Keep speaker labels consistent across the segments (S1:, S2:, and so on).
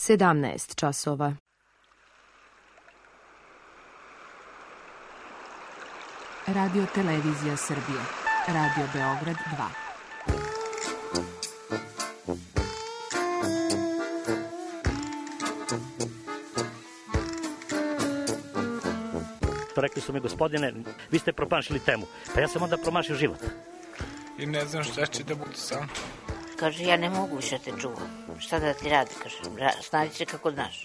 S1: 17 časova.
S2: Radio Televizija Srbije. Radio Beograd
S3: 2. Rekli su mi, gospodine, vi ste promašili temu. Pa ja sam onda promašio život.
S4: I ne znam šta će da bude sam.
S5: Kaže, ja ne mogu više te čuvam. Šta da ti radi, kaže, snađi se kako znaš.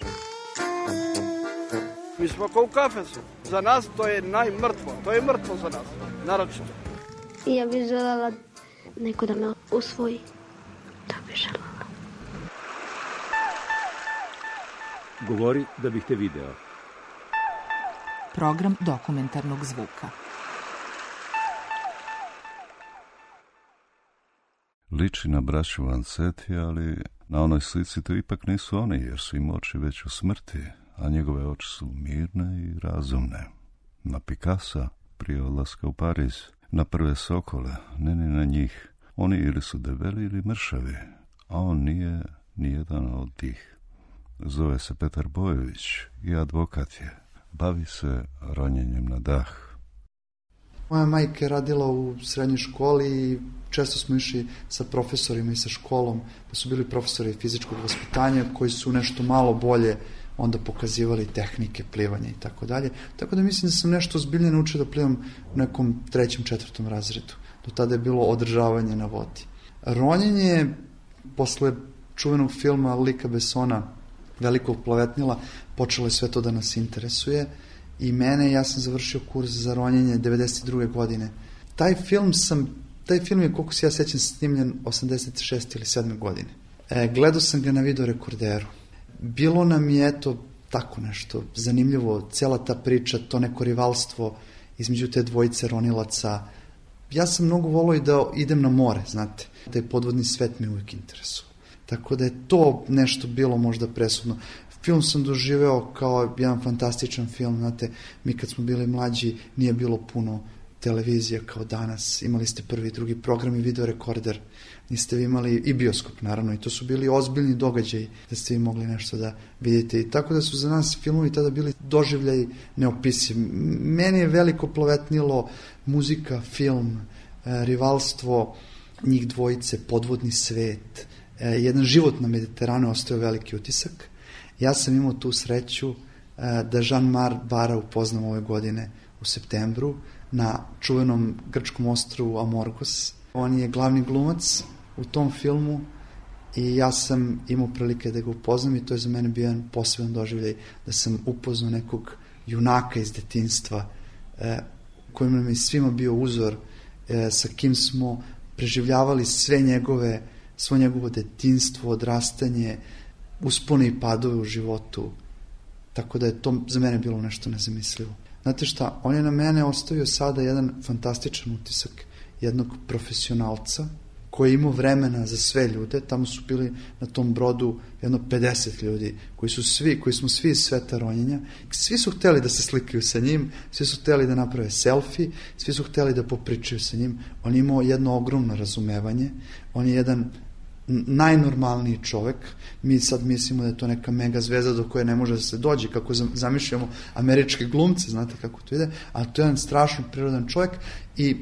S6: Mi smo kao u kafesu. Za nas to je najmrtvo. To je mrtvo za nas, naročito.
S7: Ja bih želela neko da me usvoji. To bih želela.
S8: Govori da bih te video.
S2: Program dokumentarnog zvuka.
S9: Liči na braću Vanzetti, ali na onoj slici to ipak nisu oni, jer su im oči već u smrti, a njegove oči su mirne i razumne. Na Picassa, prije odlaska u Pariz, na prve sokole, ne ni na njih. Oni ili su debeli ili mršavi, a on nije nijedan od tih. Zove se Petar Bojović i advokat je. Bavi se ronjenjem na dah.
S10: Moja majka je radila u srednjoj školi i često smo išli sa profesorima i sa školom, pa su bili profesori fizičkog vaspitanja koji su nešto malo bolje onda pokazivali tehnike plivanja i tako dalje. Tako da mislim da sam nešto ozbiljnije naučio da plivam u nekom 3., 4. razredu. Do tada je bilo održavanje na vodi. Ronjenje, posle čuvenog filma Luca Bessona, Velikog plavetnila, počelo je sve to da nas interesuje i ja sam završio kurs za ronjenje 92. godine. Taj film je, koliko se ja sećam, snimljen 86. ili 7. godine. Gledao sam ga na video rekorderu. Bilo nam je, eto, tako nešto zanimljivo, cijela ta priča, to neko rivalstvo između te dvojice ronilaca. Ja sam mnogo volio i da idem na more, znate. Taj podvodni svet me uvijek interesuje. Tako da je to nešto bilo možda presudno. Film sam doživeo kao jedan fantastičan film, znate, mi kad smo bili mlađi nije bilo puno televizija kao danas, imali ste prvi i drugi program i video rekorder, niste vi imali i bioskop naravno i to su bili ozbiljni događaji da ste vi mogli nešto da vidite i tako da su za nas filmovi tada bili doživljaji neopisivi. Meni je Veliko plavetnilo, muzika, film, rivalstvo, njih dvojice, podvodni svet, jedan život na Mediteranu ostao veliki utisak. Ja sam imao tu sreću da Jean-Marc Bara upoznam ove godine u septembru na čuvenom grčkom ostrvu Amorgos. On je glavni glumac u tom filmu i ja sam imao prilike da ga upoznam i to je za mene bio jedan poseban doživljaj da sam upoznao nekog junaka iz detinjstva kojim nam je svima bio uzor, sa kim smo preživljavali svo njegovo detinjstvo, odrastanje, uspone i padove u životu. Tako da je to za mene bilo nešto nezamislivo. Znate šta, on je na mene ostavio sada jedan fantastičan utisak jednog profesionalca koji je imao vremena za sve ljude. Tamo su bili na tom brodu jedno 50 ljudi koji smo svi iz sveta ronjenja. Svi su hteli da se slikaju sa njim, svi su hteli da naprave selfie, svi su hteli da popričaju sa njim. On je imao jedno ogromno razumevanje, on je jedan najnormalniji čovek. Mi sad mislimo da je to neka mega zvezda do koje ne može da se dođe, kako zamišljamo američke glumce, znate kako to ide, a to je jedan strašno prirodan čovek i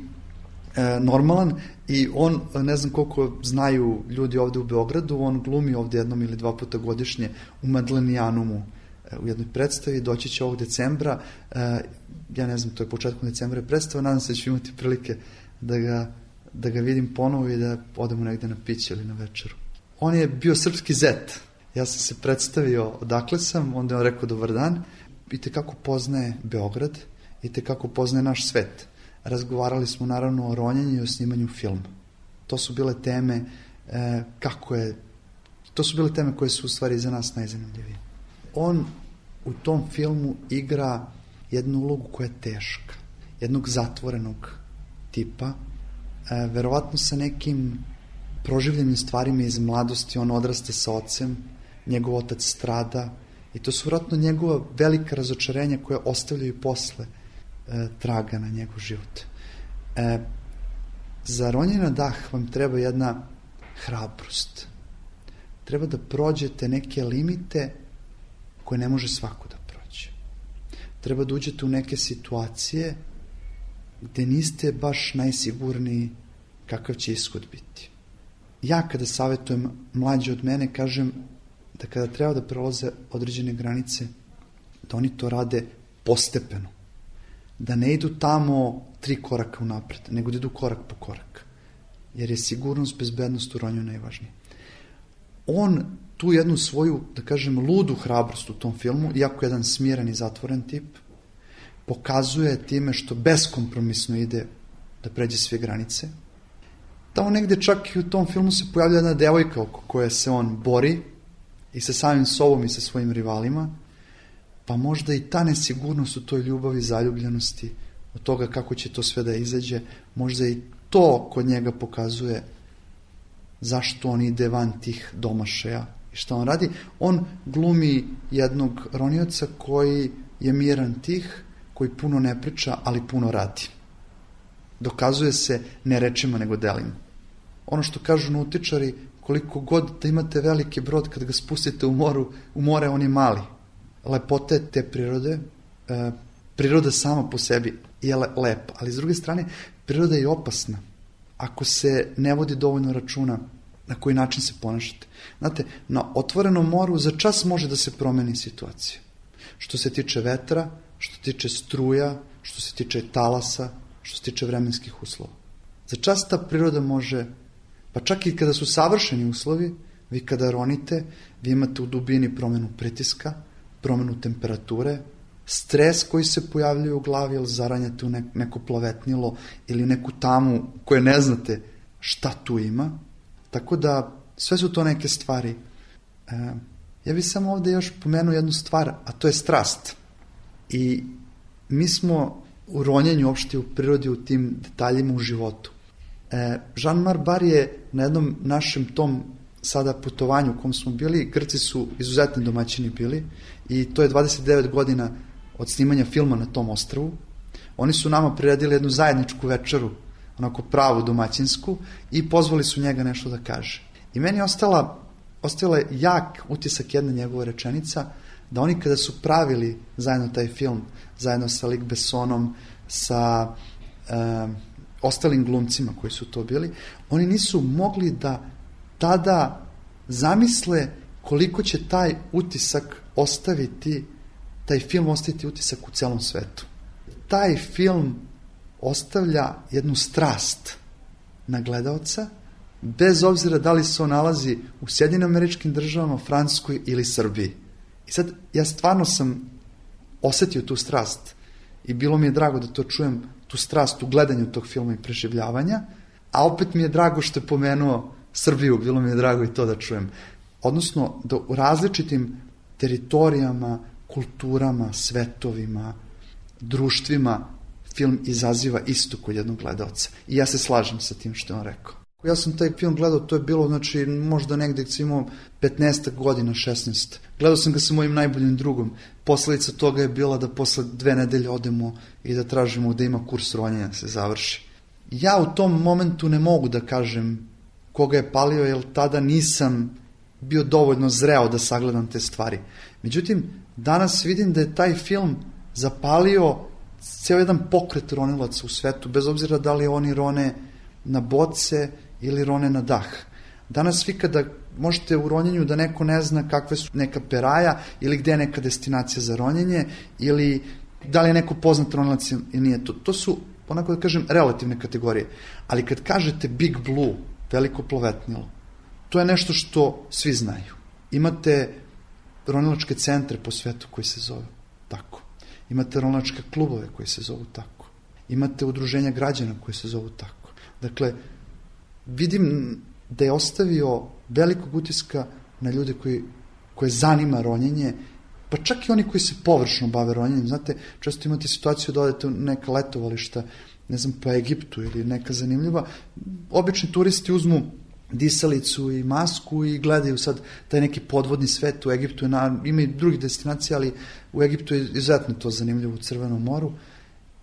S10: normalan i on, ne znam koliko znaju ljudi ovde u Beogradu, on glumi ovde 1 ili 2 puta godišnje u Madlenijanumu u jednoj predstavi, doći će ovog decembra, ja ne znam, to je početkom decembra predstava, nadam se da ću imati prilike da ga vidim ponovo i da odemo negde na piće ili na večeru. On je bio srpski zet. Ja sam se predstavio odakle sam, onda je on rekao dobar dan. I tekako poznaje Beograd, i tekako poznaje naš svet. Razgovarali smo naravno o ronjenju i o snimanju filma. To su bile teme to su bile teme koje su u stvari za nas najzanimljivije. On u tom filmu igra jednu ulogu koja je teška, jednog zatvorenog tipa, verovatno sa nekim proživljenim stvarima iz mladosti. On odraste sa ocem, njegov otac strada i to su vjerojatno njegova velika razočarenja koje ostavljaju posle traga na njegov život. Za ronjenje na dah vam treba jedna hrabrost, treba da prođete neke limite koje ne može svako da prođe. Treba da uđete u neke situacije gde niste baš najsigurniji kakav će ishod biti. Ja kada savjetujem mlađe od mene, kažem da kada treba da prelaze određene granice, da oni to rade postepeno. Da ne idu tamo 3 koraka unapred, nego da idu korak po korak. Jer je sigurnost, bezbednost u ronju najvažnije. On tu jednu svoju, da kažem, ludu hrabrost u tom filmu, iako jedan smiren i zatvoren tip, pokazuje time što beskompromisno ide da pređe sve granice. Tamo negde čak i u tom filmu se pojavlja jedna devojka oko koje se on bori i sa samim sobom i sa svojim rivalima, pa možda i ta nesigurnost u toj ljubavi, zaljubljenosti, od toga kako će to sve da izađe, možda i to kod njega pokazuje zašto on ide van tih domašaja i šta on radi. On glumi jednog ronioca koji je miran, tih, koji puno ne priča, ali puno radi. Dokazuje se ne rečima nego delima. Ono što kažu nautičari, koliko god da imate veliki brod, kad ga spustite u more, on je mali. Lepota je te prirode, priroda sama po sebi je lepa, ali s druge strane priroda je opasna ako se ne vodi dovoljno računa na koji način se ponašate. Znate, na otvorenom moru za čas može da se promeni situacija. Što se tiče vetra, što se tiče struja, što se tiče talasa, što se tiče vremenskih uslova. Za čas ta priroda može, pa čak i kada su savršeni uslovi, vi kada ronite, vi imate u dubini promenu pritiska, promenu temperature, stres koji se pojavljuje u glavi, ili zaranjate u neko plavetnilo ili neku tamu koje ne znate šta tu ima. Tako da sve su to neke stvari. Ja bih samo ovde još pomenuo jednu stvar, a to je strast. I mi smo u ronjenju, uopšte u prirodi, u tim detaljima u životu. Jean-Marc Barr je na jednom našem tom sada putovanju u kom smo bili, Grci su izuzetni domaćini bili i to je 29 godina od snimanja filma na tom ostrvu. Oni su nama priredili jednu zajedničku večeru, onako pravu domaćinsku, i pozvali su njega nešto da kaže. I meni je ostala jak utisak jedna njegova rečenica, da oni kada su pravili zajedno taj film, zajedno sa Luc Bessonom, sa ostalim glumcima koji su to bili, oni nisu mogli da tada zamisle koliko će taj utisak ostaviti, taj film ostaviti utisak u celom svetu. Taj film ostavlja jednu strast na gledaoca, bez obzira da li se on nalazi u Sjedinjenim Američkim Državama, Francuskoj ili Srbiji. I sad, ja stvarno sam osetio tu strast i bilo mi je drago da to čujem, tu strast u gledanju tog filma i preživljavanja, a opet mi je drago što je pomenuo Srbiju, bilo mi je drago i to da čujem. Odnosno, da u različitim teritorijama, kulturama, svetovima, društvima film izaziva isto kod jednog gledalca. I ja se slažem sa tim što je on rekao. Ja sam taj film gledao, to je bilo, znači, možda negde kad sam imao 15 godina, 16. Gledao sam ga sa mojim najboljim drugom. Posledica toga je bila da posle 2 nedelje odemo i da tražimo da ima kurs ronjenja da se završi. Ja u tom momentu ne mogu da kažem koga je palio, jer tada nisam bio dovoljno zreo da sagledam te stvari. Međutim, danas vidim da je taj film zapalio ceo jedan pokret ronilaca u svetu, bez obzira da li oni rone na boce ili rone na dah. Danas vi kada možete u ronjenju da neko ne zna kakve su neka peraja ili gde je neka destinacija za ronjenje ili da li je neko poznat ronilac ili nije. To su, onako da kažem, relativne kategorije. Ali kad kažete Big Blue, veliko plovetnilo, to je nešto što svi znaju. Imate ronilačke centre po svetu koji se zove tako. Imate ronilačke klubove koji se zovu tako. Imate udruženja građana koji se zovu tako. Dakle, vidim da je ostavio velikog utiska na ljude koje zanima ronjenje, pa čak i oni koji se površno bave ronjenjem. Znate, često imate situaciju da odete u neka letovališta, ne znam, pa Egiptu ili neka zanimljiva. Obični turisti uzmu disalicu i masku i gledaju sad taj neki podvodni svet. U Egiptu ima i drugih destinacija, ali u Egiptu je izuzetno to zanimljivo, u Crvenom moru.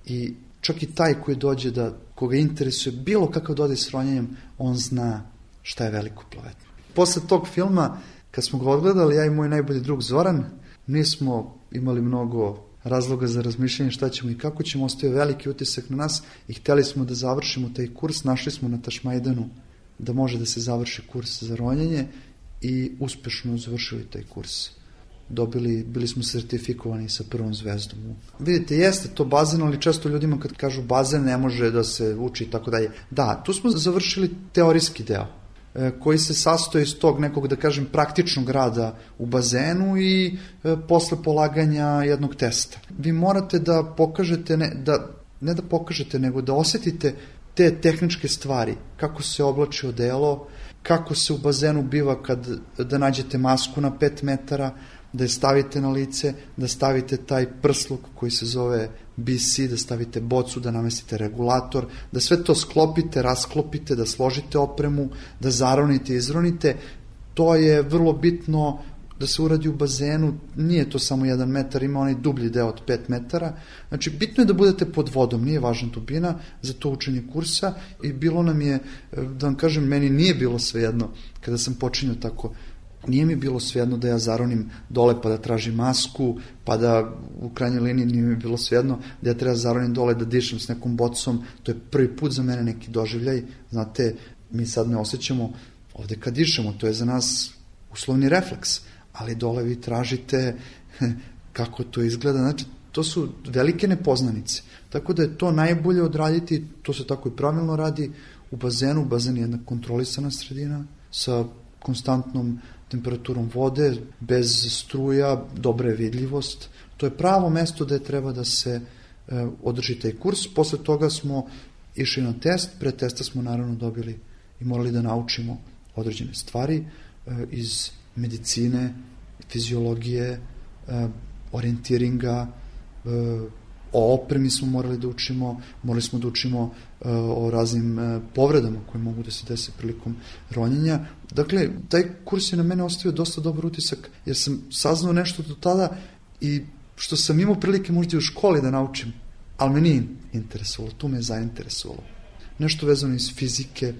S10: I čak i taj koji dođe koga interesuje bilo kakav dodir s ronjenjem, on zna šta je veliko plovetnilo. Posle tog filma Kad smo ga odgledali, ja i moj najbolji drug Zoran, nismo imali mnogo razloga za razmišljanje šta ćemo i kako ćemo, ostavio veliki utisak na nas i hteli smo da završimo taj kurs. Našli smo na Tašmajdanu da može da se završi kurs za ronjenje i uspešno završili taj kurs. Bili smo sertifikovani sa prvom zvezdom. Vidite, jeste to bazen, ali često ljudima kad kažu bazen ne može da se uči i tako dalje. Da, tu smo završili teorijski deo koji se sastoji iz tog nekog, da kažem, praktičnog rada u bazenu i posle polaganja jednog testa. Vi morate da pokažete, ne da pokažete, nego da osetite te tehničke stvari, kako se oblači odelo, kako se u bazenu biva da nađete masku na 5 metara, da je stavite na lice, da stavite taj prsluk koji se zove BC, da stavite bocu, da namestite regulator, da sve to sklopite, rasklopite, da složite opremu, da zaronite, izronite. To je vrlo bitno da se uradi u bazenu, nije to samo 1 metar, ima onaj dublji deo od 5 metara. Znači, bitno je da budete pod vodom, nije važna dubina za to učenje kursa i bilo nam je, da vam kažem, meni nije bilo svejedno kada sam počinio tako. Nije mi bilo svejedno da ja zaronim dole pa da tražim masku, pa da u krajnjoj liniji nije mi bilo svejedno da ja treba zaronim dole da dišem s nekom bocom. To je prvi put za mene neki doživljaj. Znate, mi sad ne osjećamo ovde kad dišemo, to je za nas uslovni refleks, ali dole vi tražite kako to izgleda. Znači, to su velike nepoznanice. Tako da je to najbolje odraditi, to se tako i pravilno radi u bazenu. Bazen je jedna kontrolisana sredina sa konstantnom temperaturom vode, bez struja, dobra je vidljivost. To je pravo mesto gde treba da se održi taj kurs. Posle toga smo išli na test, pre testa smo naravno dobili i morali da naučimo određene stvari iz medicine, fiziologije, orijentiringa, o opremi smo morali da učimo, morali smo da učimo o raznim povredama koje mogu da se dese prilikom ronjenja. Dakle, taj kurs je na mene ostavio dosta dobar utisak, jer sam saznao nešto do tada i što sam imao prilike možda i u školi da naučim, ali me nije interesovalo, tu me je zainteresovalo. Nešto vezano iz fizike,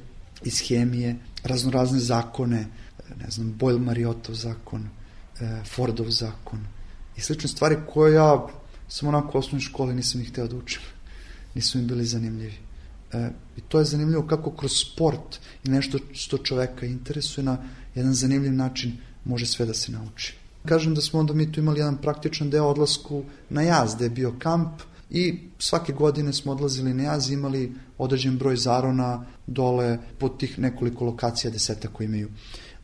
S10: iz hemije, raznorazne zakone, ne znam, Boyle-Mariotov zakon, Fordov zakon i slične stvari koje ja sam onako u osnovnoj školi nisam ih hteo da učim. Nisu mi bili zanimljivi. I to je zanimljivo kako kroz sport i nešto što čoveka interesuje na jedan zanimljiv način može sve da se nauči. Kažem da smo onda mi tu imali jedan praktičan deo odlasku na jaz, gde je bio kamp i svake godine smo odlazili na jaz i imali određen broj zarona dole po tih nekoliko lokacija, 10 koji imaju.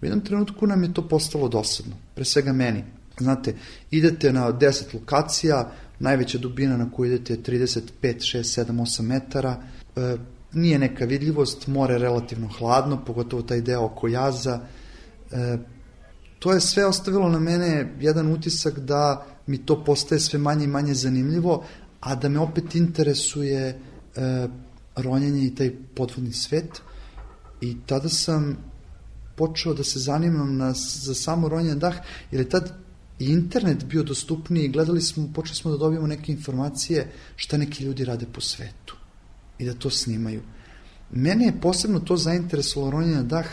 S10: U jednom trenutku nam je to postalo dosadno, pre svega meni. Znate, idete na 10 lokacija, najveća dubina na koju idete je 35, 6, 7, 8 metara, nije neka vidljivost, more je relativno hladno, pogotovo taj deo oko jaza. To je sve ostavilo na mene jedan utisak da mi to postaje sve manje i manje zanimljivo, a da me opet interesuje ronjenje i taj podvodni svet. I tada sam počeo da se zanimam za samo ronjenje na dah, jer je tad i internet bio dostupniji, počeli smo da dobijemo neke informacije šta neki ljudi rade po svetu i da to snimaju. Mene je posebno to zainteresovalo ronjenje na dah,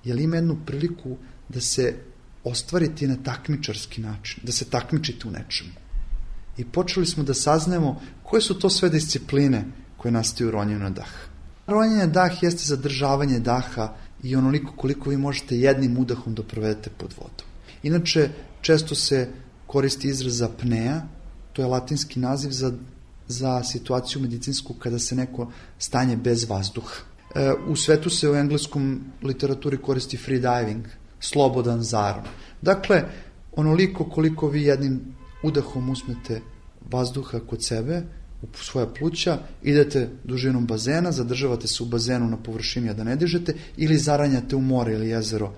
S10: jer ima jednu priliku da se ostvariti na takmičarski način, da se takmičite u nečemu. I počeli smo da saznajemo koje su to sve discipline koje nastaju u ronjenju na dah. Ronjenje na dah jeste zadržavanje daha i onoliko koliko vi možete jednim udahom da provedete pod vodom. Inače, često se koristi izraz apnea, to je latinski naziv za situaciju medicinsku kada se neko stanje bez vazduha. U svetu se u engleskom literaturi koristi free diving, slobodan zaron. Dakle, onoliko koliko vi jednim udahom uzmete vazduha kod sebe, u svoja pluća, idete dužinom bazena, zadržavate se u bazenu na površini, a da ne dižete, ili zaranjate u more ili jezero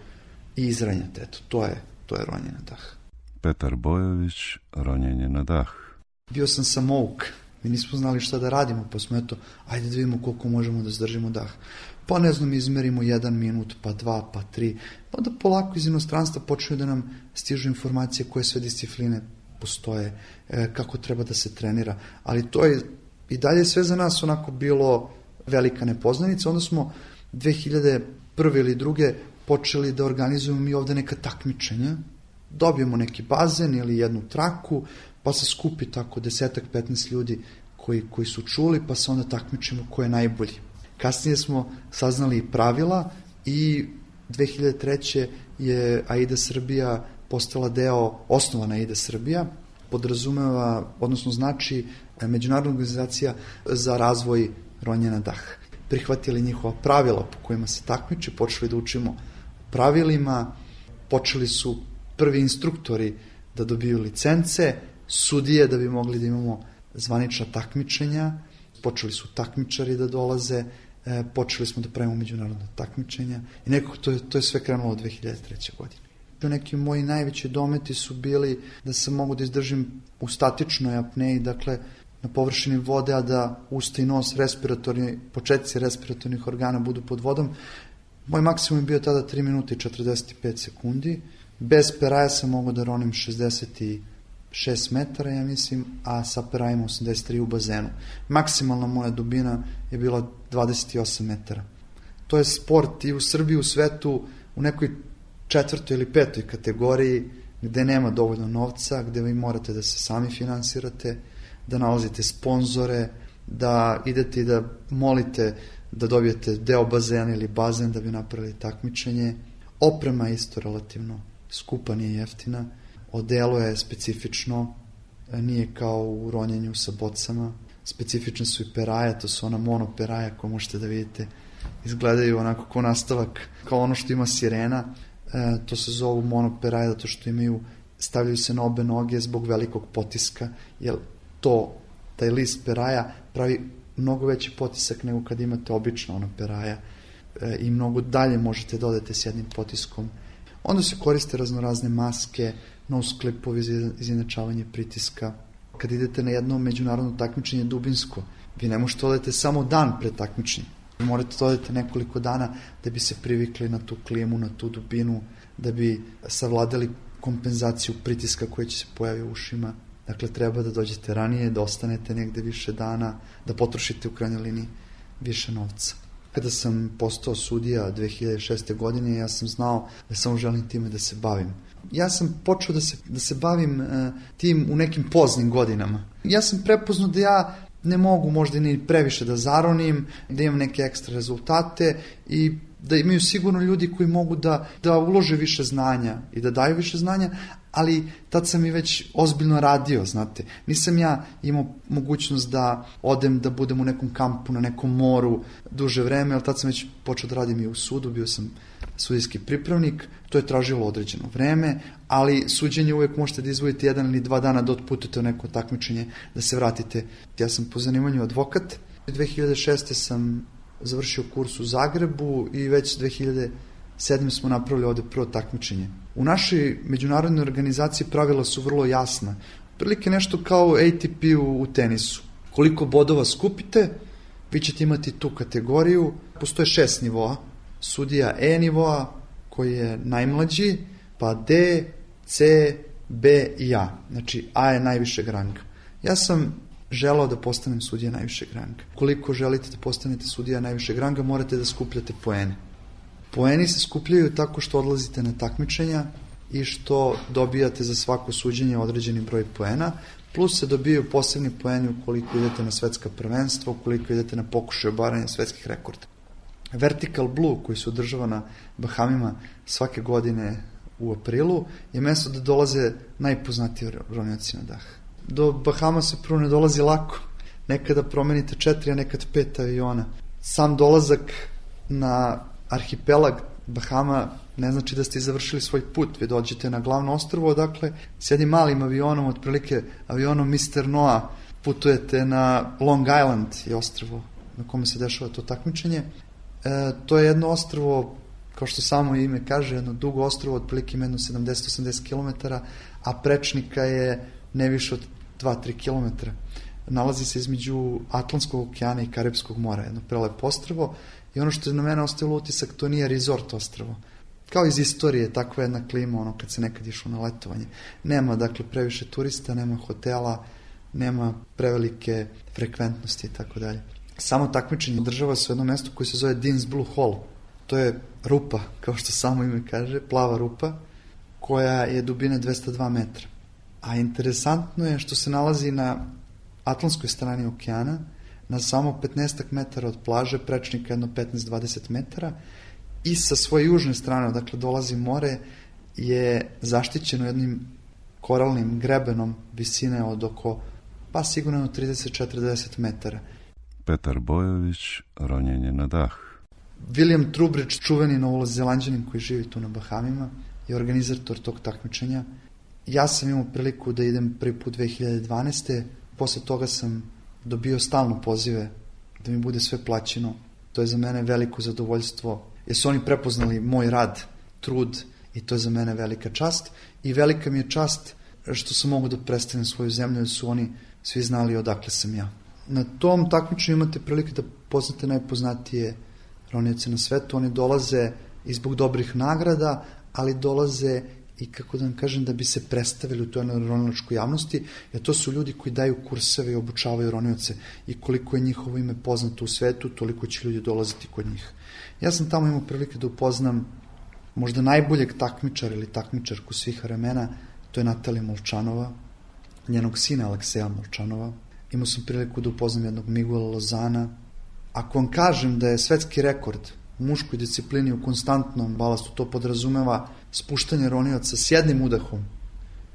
S10: i izranjate. Eto, to je ronjenje na dah.
S9: Petar Bojović, ronjenje na dah.
S10: Bio sam samouk. Mi nismo znali šta da radimo, pa smo ajde da vidimo koliko možemo da zdržimo dah. Pa ne znam, izmerimo 1 minut, pa 2, pa 3. Pa da polako iz inostranstva počinju da nam stižu informacije koje sve discipline postoje, kako treba da se trenira. Ali to je i dalje sve za nas onako bilo velika nepoznanica. Onda smo 2001. ili 2. počeli da organizujemo mi ovde neka takmičenja, dobijemo neki bazen ili jednu traku, pa se skupi tako 10-15 ljudi koji su čuli, pa se onda takmičimo ko je najbolji. Kasnije smo saznali i pravila i 2003. je AIDA Srbija postala osnovana AIDA Srbija, podrazumeva, odnosno znači Međunarodna organizacija za razvoj ronja na dah. Prihvatili njihova pravila po kojima se takmiči, počeli da učimo pravilima, počeli su prvi instruktori da dobiju licence, sudije da bi mogli da imamo zvanična takmičenja, počeli su takmičari da dolaze, počeli smo da pravimo međunarodna takmičenja i nekako to je sve krenulo od 2003. godine. Neki moji najveći dometi su bili da sam mogu da izdržim u statičnoj apneji, dakle na površini vode, a da usta i nos, početci respiratornih organa budu pod vodom. Moj maksimum je bio tada 3 minuta i 45 sekundi. Bez peraja sam mogao da ronim 66 metara, ja mislim, a sa perajima 83 u bazenu. Maksimalna moja dubina je bila 28 metara. To je sport i u Srbiji, u svetu, u nekoj 4. ili 5. kategoriji gde nema dovoljno novca, gde vi morate da se sami finansirate, da nalazite sponzore, da idete i da molite da dobijete deo bazena ili bazen da bi napravili takmičenje. Oprema je isto relativno skupa, nije jeftina. Odelo je specifično, nije kao u ronjenju sa bocama. Specifične su i peraje, to su ona monoperaja koje možete da vidite. Izgledaju onako kao nastavak, kao ono što ima sirena. To se zovu monoperaje zato što stavljaju se na obe noge zbog velikog potiska, jer taj list peraja pravi mnogo veći potisak nego kad imate obično ono peraja i mnogo dalje možete da odete s jednim potiskom. Onda se koriste raznorazne maske, nose clipovi za izjednačavanje pritiska. Kad idete na jedno međunarodno takmičenje dubinsko, vi ne možete odete samo dan pred takmičenjem. Vi morate da odete nekoliko dana da bi se privikli na tu klimu, na tu dubinu, da bi savladali kompenzaciju pritiska koja će se pojavi u ušima. Dakle, treba da dođete ranije, da ostanete negde više dana, da potrošite u krajnjoj liniji više novca. Kada sam postao sudija 2006. godine, ja sam znao da samo želim time da se bavim. Ja sam počeo da se bavim tim u nekim poznim godinama. Ja sam prepoznao da ja ne mogu možda ni previše da zaronim, da imam neke ekstra rezultate i da imaju sigurno ljudi koji mogu da ulože više znanja i da daju više znanja, ali tad sam i već ozbiljno radio, znate. Nisam ja imao mogućnost da odem da budem u nekom kampu, na nekom moru duže vreme, ali tad sam već počeo da radim i u sudu, bio sam sudijski pripravnik, to je tražilo određeno vreme, ali suđenje uvek možete da izvojite 1 ili 2 dana da otputete u neko takmičenje, da se vratite. Ja sam po zanimanju advokat. 2006. sam završio kurs u Zagrebu i već 2007. smo napravili ovde prvo takmičenje. U našoj međunarodnoj organizaciji pravila su vrlo jasna. Prilike nešto kao ATP u tenisu. Koliko bodova skupite, vi ćete imati tu kategoriju. Postoje 6 nivoa. Sudija E nivoa, koji je najmlađi, pa D, C, B i A. Znači, A je najvišeg ranga. Ja sam želao da postanem sudija najvišeg ranga. Koliko želite da postanete sudija najvišeg ranga, morate da skupljate poene. Poeni se skupljaju tako što odlazite na takmičenja i što dobijate za svako suđenje određeni broj poena, plus se dobijaju posebni poeni ukoliko idete na svetska prvenstva, ukoliko idete na pokušaj obaranja svetskih rekorda. Vertical Blue, koji se održava na Bahamima svake godine u aprilu, je mesto da dolaze najpoznatiji ronioci na dah. Do Bahama se prvo ne dolazi lako. Nekada promenite 4, a nekad 5 aviona. Sam dolazak na arhipelag Bahama ne znači da ste završili svoj put. Vi dođete na glavno ostrvo, odakle s jednim malim avionom, otprilike avionom Mr. Noah, putujete na Long Island, je ostrvo na kome se dešava to takmičenje. To je jedno ostrvo, kao što samo ime kaže, jedno dugo ostrvo, otprilike ima jedno 70-80 km, a prečnika je ne više od 2-3 km. Nalazi se između Atlantskog okeana i Karipskog mora, jedno prelepo ostrvo, i ono što je na mene ostavilo utisak, to nije resort ostrvo. Kao iz istorije, takva jedna klima, ono kad se nekad išlo na letovanje. Nema, dakle, previše turista, nema hotela, nema prevelike frekventnosti i tako dalje. Samo takmičenje održava se u jednom mestu koje se zove Dean's Blue Hall. To je rupa, kao što samo ime kaže, plava rupa, koja je dubine 202 metra. A interesantno je što se nalazi na atlantskoj strani okeana, na samo 15 metara od plaže, prečnika jedno 15-20 metara, i sa svoje južne strane, odakle dolazi more, je zaštićeno jednim koralnim grebenom visine od oko, pa sigurno 30-40 metara.
S9: Petar Bojović, ronjenje na dah.
S10: William Trubridge, čuveni Novozelanđanin koji živi tu na Bahamima, je organizator tog takmičenja. Ja sam imao priliku da idem prvi put 2012. Posle toga sam dobio stalno pozive da mi bude sve plaćeno. To je za mene veliko zadovoljstvo, jer su oni prepoznali moj rad, trud, i to je za mene velika čast. I velika mi je čast što sam mogu da predstavim svoju zemlju, jer su oni svi znali odakle sam ja. Na tom takmičenju imate prilike da poznate najpoznatije ronioce na svetu. Oni dolaze i zbog dobrih nagrada, ali dolaze i, kako da vam kažem, da bi se predstavili u toj ronilačkoj javnosti, jer to su ljudi koji daju kurseve i obučavaju ronioce, i koliko je njihovo ime poznato u svetu, toliko će ljudi dolaziti kod njih. Ja sam tamo imao prilike da upoznam možda najboljeg takmičara ili takmičarku svih vremena, to je Natalija Molčanova, njenog sina Alekseja Molčanova. Imao sam priliku da upoznam jednog Miguela Lozana. Ako vam kažem da je svetski rekord u muškoj disciplini u konstantnom balastu, to podrazumeva spuštanje ronioca s jednim udahom,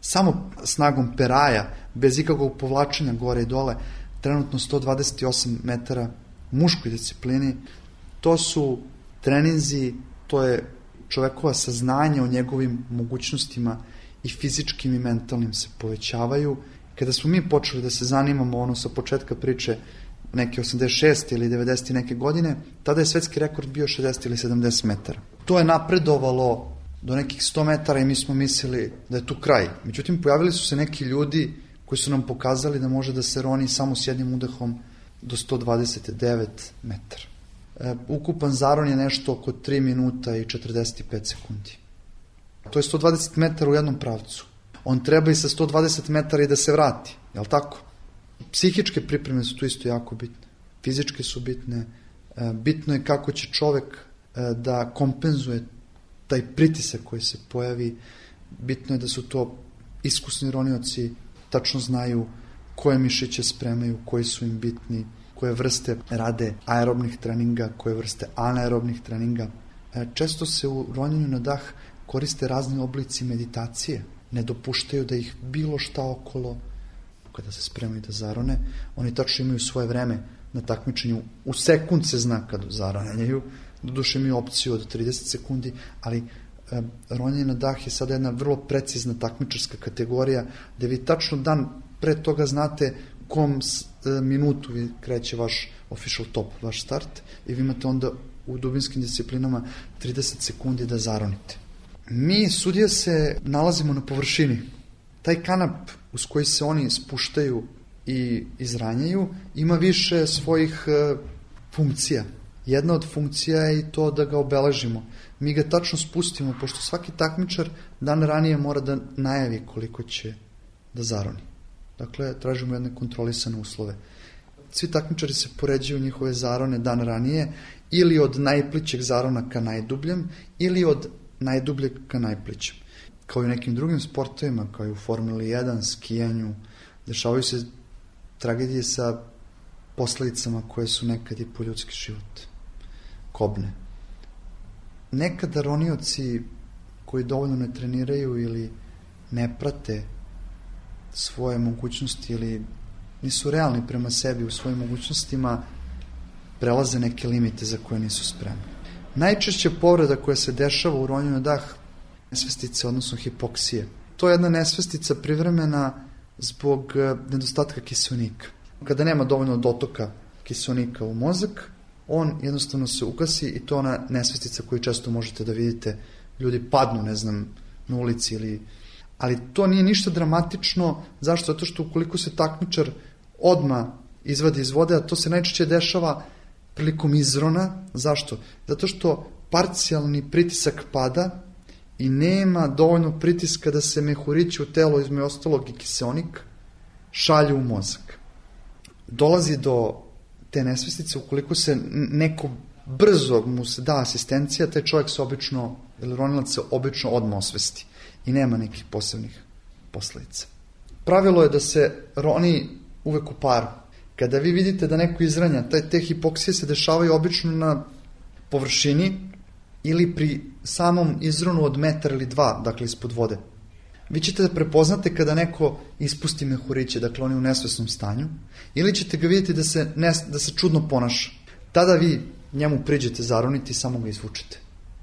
S10: samo snagom peraja, bez ikakvog povlačenja gore i dole, trenutno 128 metara u muškoj disciplini. To su treninzi, to je čovekova saznanja o njegovim mogućnostima i fizičkim i mentalnim se povećavaju. Kada smo mi počeli da se zanimamo sa početka priče, neke 86. ili 90. neke godine, tada je svetski rekord bio 60 ili 70 metara. To je napredovalo do nekih 100 metara i mi smo mislili da je tu kraj. Međutim, pojavili su se neki ljudi koji su nam pokazali da može da se roni samo s jednim udahom do 129 metara. Ukupan zaron je nešto oko 3 minuta i 45 sekundi. To je 120 metara u jednom pravcu. On treba i sa 120 metara i da se vrati, jel tako? Psihičke pripreme su tu isto jako bitne. Fizičke su bitne. Bitno je kako će čovek da kompenzuje taj pritisak koji se pojavi. Bitno je da su to iskusni ronioci, tačno znaju koje mišiće spremaju, koji su im bitni, koje vrste rade aerobnih treninga, koje vrste anaerobnih treninga. Često se u ronjenju na dah koriste razni oblici meditacije. Ne dopuštaju da ih bilo šta okolo, kada se spremaju da zarone. Oni tačno imaju svoje vreme na takmičenju. U sekund se zna kad zaranjaju. Doduše imaju opciju od 30 sekundi, ali ronjenje na dah je sada jedna vrlo precizna takmičarska kategorija, gde vi tačno dan pre toga znate u kom minutu vi kreće vaš official top, vaš start, i vi imate onda u dubinskim disciplinama 30 sekundi da zaronite. Mi, sudije, se nalazimo na površini. Taj kanap uz koji se oni spuštaju i izranjaju ima više svojih funkcija. Jedna od funkcija je i to da ga obeležimo. Mi ga tačno spustimo, pošto svaki takmičar dan ranije mora da najavi koliko će da zaroni. Dakle, tražimo jedne kontrolisane uslove. Svi takmičari se poređuju njihove zarone dan ranije, ili od najplićeg zarona ka najdubljem, ili od najdubljeg ka najplićem. Kao i u nekim drugim sportovima, kao i u Formuli 1, skijanju, dešavaju se tragedije sa posledicama koje su nekad i po ljudski život. Kobne. Nekada ronioci koji dovoljno ne treniraju ili ne prate svoje mogućnosti ili nisu realni prema sebi u svojim mogućnostima, prelaze neke limite za koje nisu spremni. Najčešće povreda koja se dešava u ronjenju na dah nesvestice, odnosno hipoksije. To je jedna nesvestica privremena zbog nedostatka kiseonika. Kada nema dovoljno dotoka kiseonika u mozak, on jednostavno se ugasi i to je ona nesvestica koju često možete da vidite. Ljudi padnu, ne znam, na ulici ili... Ali to nije ništa dramatično. Zašto? Zato što ukoliko se takmičar odmah izvadi iz vode, a to se najčešće dešava prilikom izrona. Zašto? Zato što parcijalni pritisak pada i nema dovoljno pritiska da se mehurići u telo, između ostalog i kiseonik, šalju u mozak. Dolazi do te nesvestice ukoliko se neko brzo mu se da asistencija, taj čovjek se obično, ili ronilac se obično odmah osvesti i nema nekih posebnih posledica. Pravilo je da se roni uvek u paru. Kada vi vidite da neko izranja, te hipoksije se dešavaju obično na površini ili pri samom izronu od metar ili 2, dakle ispod vode. Vi ćete da prepoznate kada neko ispusti mehuriće, dakle on je u nesvesnom stanju, ili ćete ga vidjeti da se čudno ponaša. Tada vi njemu priđete zaroniti i samo ga izvučete.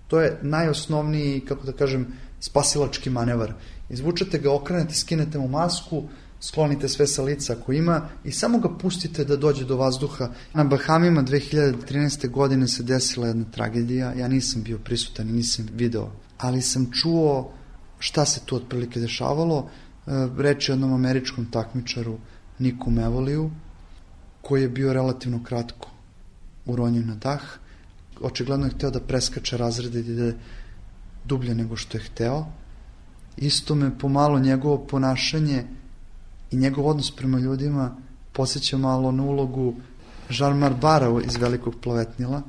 S10: To je najosnovniji, kako da kažem, spasilački manevar. Izvučete ga, okrenete, skinete mu masku, sklonite sve sa lica ako ima i samo ga pustite da dođe do vazduha. Na Bahamima 2013. godine se desila jedna tragedija. Ja nisam bio prisutan i nisam video, ali sam čuo šta se tu otprilike dešavalo. Reč je o jednom američkom takmičaru Niku Mevoliju, koji je bio relativno kratko uronjen na dah. Očigledno je hteo da preskače razrede i da ide dublje nego što je hteo. Isto me pomalo njegovo ponašanje i njegov odnos prema ljudima podsjeća malo na ulogu Žarmar Bara iz Velikog plovetnila.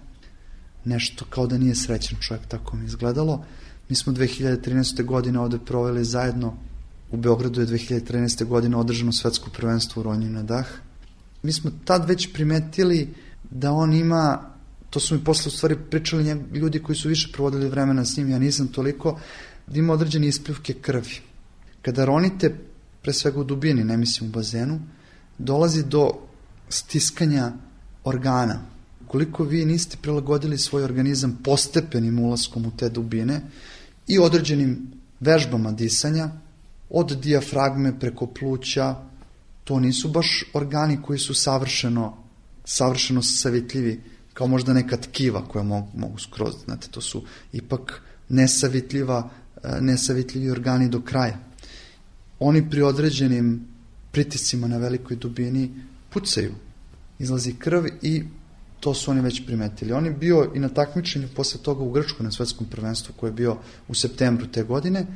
S10: Nešto kao da nije srećan čovjek, tako mi izgledalo. Mi smo 2013. godine ovde proveli zajedno. U Beogradu je 2013. godine održano svetsko prvenstvo u ronjenju na dah. Mi smo tad već primetili da on ima, to su mi posle u stvari pričali ljudi koji su više provodili vremena s njim, ja nisam toliko, da ima određene ispljuvke krvi. Kada ronite, pre svega u dubini, ne mislim u bazenu, dolazi do stiskanja organa. Ukoliko vi niste prilagodili svoj organizam postepenim ulaskom u te dubine i određenim vežbama disanja, od dijafragme preko pluća, to nisu baš organi koji su savršeno savitljivi, kao možda neka tkiva koja mogu skroz, znate, to su ipak nesavitljivi organi do kraja. Oni pri određenim pritiscima na velikoj dubini pucaju, izlazi krv i to su oni već primetili. On je bio i na takmičenju posle toga u Grčkoj na svetskom prvenstvu koje je bio u septembru te godine,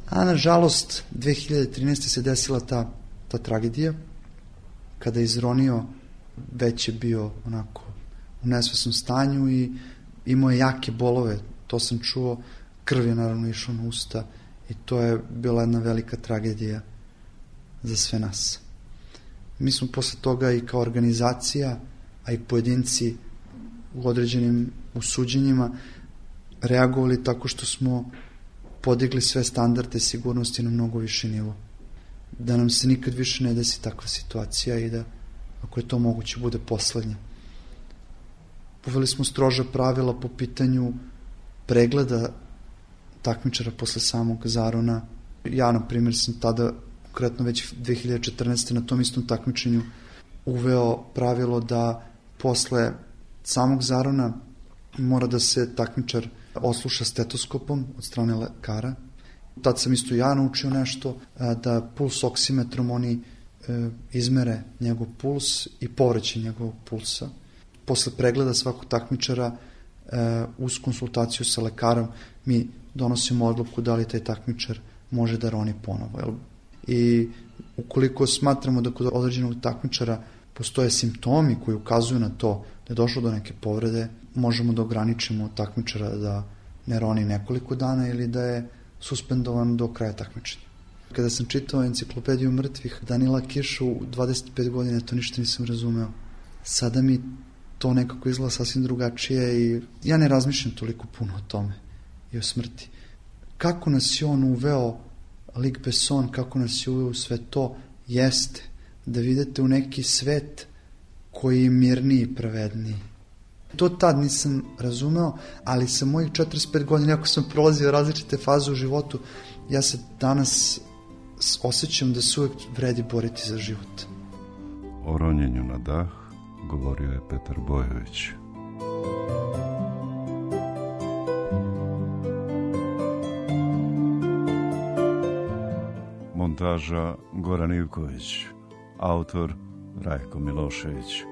S10: a nažalost 2013. se desila ta tragedija kada je izronio, već je bio onako u nesvesnom stanju i imao je jake bolove, to sam čuo, krv je naravno išao na usta i to je bila jedna velika tragedija za sve nas. Mi smo posle toga i kao organizacija, a i pojedinci u određenim suđenjima reagovali tako što smo podigli sve standarde sigurnosti na mnogo viši nivo. Da nam se nikad više ne desi takva situacija i da, ako je to moguće, bude poslednja. Uveli smo stroža pravila po pitanju pregleda takmičara posle samog zarona. Ja, na primjer, sam tada, konkretno već 2014. na tom istom takmičenju uveo pravilo da posle samog zarona mora da se takmičar osluša stetoskopom od strane lekara. Tad sam isto ja naučio nešto, da puls oksimetrom oni izmere njegov puls i povraćaj njegovog pulsa. Posle pregleda svakog takmičara uz konsultaciju sa lekarom mi donosimo odluku da li taj takmičar može da roni ponovo. I ukoliko smatramo da kod određenog takmičara postoje simptomi koji ukazuju na to da je došlo do neke povrede, možemo da ograničimo takmičara da ne roni nekoliko dana ili da je suspendovan do kraja takmičenja. Kada sam čitao enciklopediju mrtvih Danila Kiša u 25 godina, to ništa nisam razumeo. Sada mi to nekako izgleda sasvim drugačije i ja ne razmišljam toliko puno o tome i o smrti. Kako nas je on uveo, Luc Besson, kako nas je uveo u sve to, jeste da vidite u neki svet koji je mirniji i pravedniji. To tad nisam razumeo, ali sa mojih 45 godina, ako sam prolazio različite faze u životu, ja se danas osjećam da se uvek vredi boriti za život.
S9: O ronjenju na dah govorio je Petar Bojović. Montaža Goran Ivković, autor Rajko Milošević.